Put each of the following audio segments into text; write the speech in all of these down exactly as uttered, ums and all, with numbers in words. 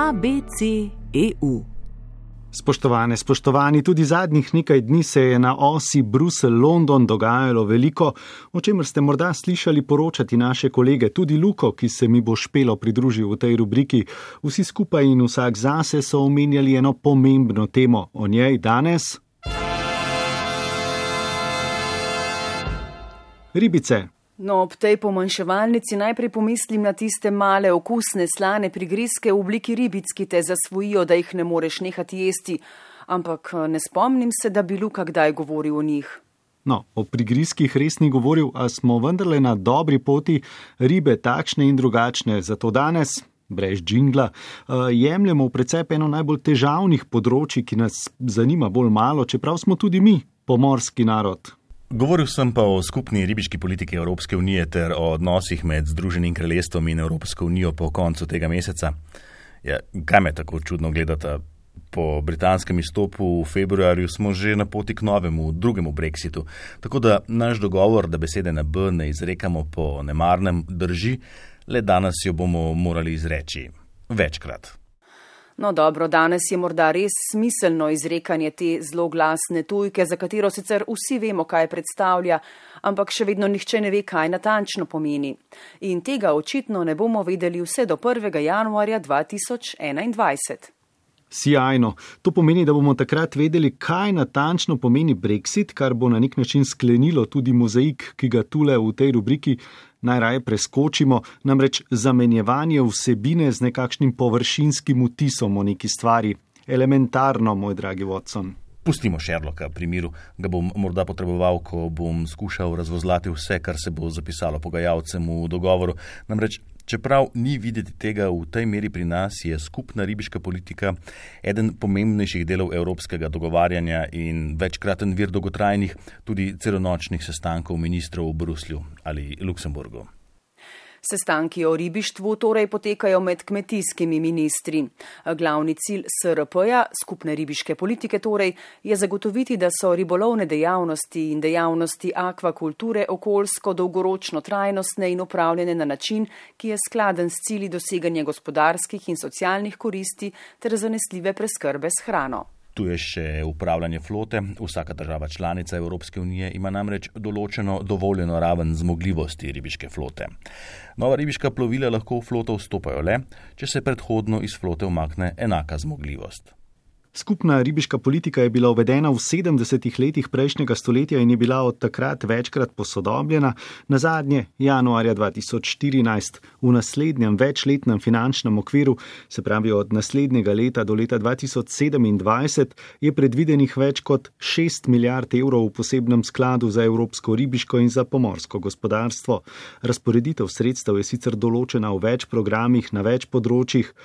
A B C E U. Spoštovane, spoštovani, tudi zadnjih nekaj dni se je na osi Bruselj-London dogajalo veliko, o čemer ste morda slišali poročati naše kolege, tudi Luko, ki se mi bo špelo pridružil v tej rubriki. Vsi skupaj in vsak zase so omenjali eno pomembno temo. O njej danes ribice. No, ob tej pomanjševalnici najprej pomislim na tiste male, okusne, slane prigrizke v obliki ribic, ki te zasvojijo, da jih ne moreš nehati jesti. Ampak ne spomnim se, da bi Luka kdaj govoril o njih. No, o prigrizkih res ni govoril, a smo vendarle na dobri poti, ribe takšne in drugačne. Zato danes, brez džingla, jemljemo v precep eno najbolj težavnih področij, ki nas zanima bolj malo, čeprav smo tudi mi pomorski narod. Govoril sem pa o skupni ribiški politiki Evropske unije ter o odnosih med Združenim kraljestvom in Evropsko unijo po koncu tega meseca. Ja, kaj me tako čudno gledata? Po britanskem izstopu v februarju smo že na poti k novemu, drugemu brexitu. Tako da naš dogovor, da besede na B ne izrekamo po nemarnem, drži, le danes jo bomo morali izreči večkrat. No dobro, danes je morda res smiselno izrekanje te zloglasne tujke, za katero sicer vsi vemo, kaj predstavlja, ampak še vedno nihče ne ve, kaj natančno pomeni. In tega očitno ne bomo vedeli vse do prvega januarja dva tisoč enaindvajset. Sijajno. To pomeni, da bomo takrat vedeli, kaj natančno pomeni Brexit, kar bo na nek način sklenilo tudi mozaik, ki ga tule v tej rubriki najraje preskočimo, namreč zamenjevanje vsebine z nekakšnim površinskim vtisom o neki stvari. Elementarno, moj dragi Watson. Pustimo Sherlocka pri miru, ga bom morda potreboval, ko bom skušal razvozlati vse, kar se bo zapisalo pogajalcem v dogovoru. Namreč, čeprav ni videti tega v tej meri pri nas, je skupna ribiška politika eden pomembnejših delov evropskega dogovarjanja in večkraten vir dolgotrajnih, tudi celonočnih sestankov ministrov v Bruslju ali Luksemburgu. Sestanki o ribištvu torej potekajo med kmetijskimi ministri. Glavni cilj S R P-ja, skupne ribiške politike torej, je zagotoviti, da so ribolovne dejavnosti in dejavnosti akvakulture okoljsko dolgoročno trajnostne in upravljene na način, ki je skladen s cilji doseganja gospodarskih in socialnih koristi ter zanesljive preskrbe s hrano. Tu je še upravljanje flote. Vsaka država članica Evropske unije ima namreč določeno dovoljeno raven zmogljivosti ribiške flote. Nova ribiška plovila lahko v floto vstopajo le, če se predhodno iz flote umakne enaka zmogljivost. Skupna ribiška politika je bila uvedena v sedemdesetih letih prejšnjega stoletja in je bila od takrat večkrat posodobljena, nazadnje januarja dva tisoč štirinajst. V naslednjem večletnem finančnem okviru, se pravi od naslednjega leta do leta dva tisoč sedemindvajset, je predvidenih več kot šest milijard evrov v posebnem skladu za evropsko ribiško in za pomorsko gospodarstvo. Razporeditev sredstev je sicer določena v več programih na več področjih.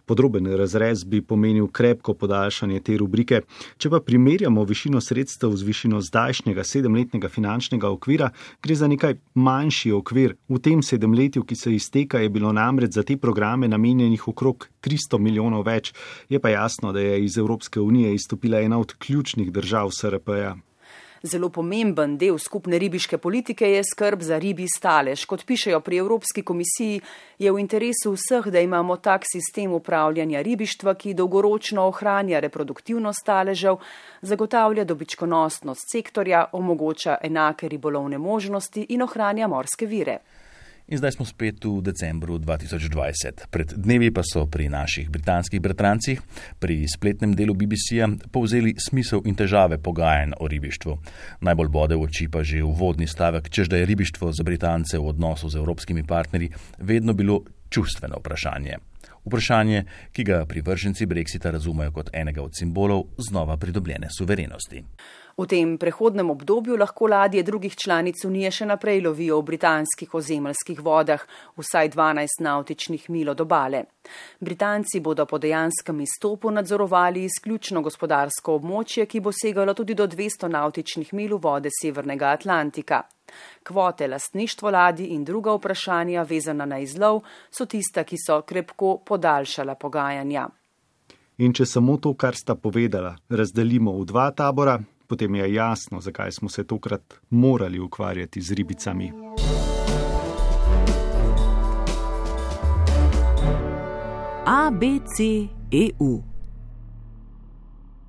Podroben razrez bi pomenil krepko podaljšanje te rubrike. Če pa primerjamo višino sredstev z višino zdajšnjega sedemletnega finančnega okvira, gre za nekaj manjši okvir. V tem sedemletju, ki se izteka, je bilo namreč za te programe namenjenih okrog tristo milijonov več. Je pa jasno, da je iz Evropske unije izstopila ena od ključnih držav S R P-ja. Zelo pomemben del skupne ribiške politike je skrb za ribji stalež. Kot pišejo pri Evropski komisiji, je v interesu vseh, da imamo tak sistem upravljanja ribištva, ki dolgoročno ohranja reproduktivnost staležev, zagotavlja dobičkonosnost sektorja, omogoča enake ribolovne možnosti in ohranja morske vire. In zdaj smo spet v decembru dva tisoč dvajset. Pred dnevi pa so pri naših britanskih bratrancih, pri spletnem delu B B C-ja, povzeli smisel in težave pogajanj o ribištvu. Najbolj bode v oči pa že uvodni stavek, čež da je ribištvo za Britance v odnosu z evropskimi partnerji vedno bilo čustveno vprašanje. Vprašanje, ki ga privrženci Brexita razumejo kot enega od simbolov znova pridobljene suverenosti. V tem prehodnem obdobju lahko ladje drugih članic Unije še naprej lovijo v britanskih ozemeljskih vodah, vsaj dvanajst navtičnih milj od obale. Britanci bodo po dejanskem izstopu nadzorovali izključno gospodarsko območje, ki bo segalo tudi do dvesto navtičnih milj v vode Severnega Atlantika. Kvote, lastništvo ladij in druga vprašanja vezana na izlov so tista, ki so krepko podaljšala pogajanja. In če samo to, kar sta povedala, razdelimo v dva tabora, potem je jasno, zakaj smo se tokrat morali ukvarjati z ribicami. A B C E U.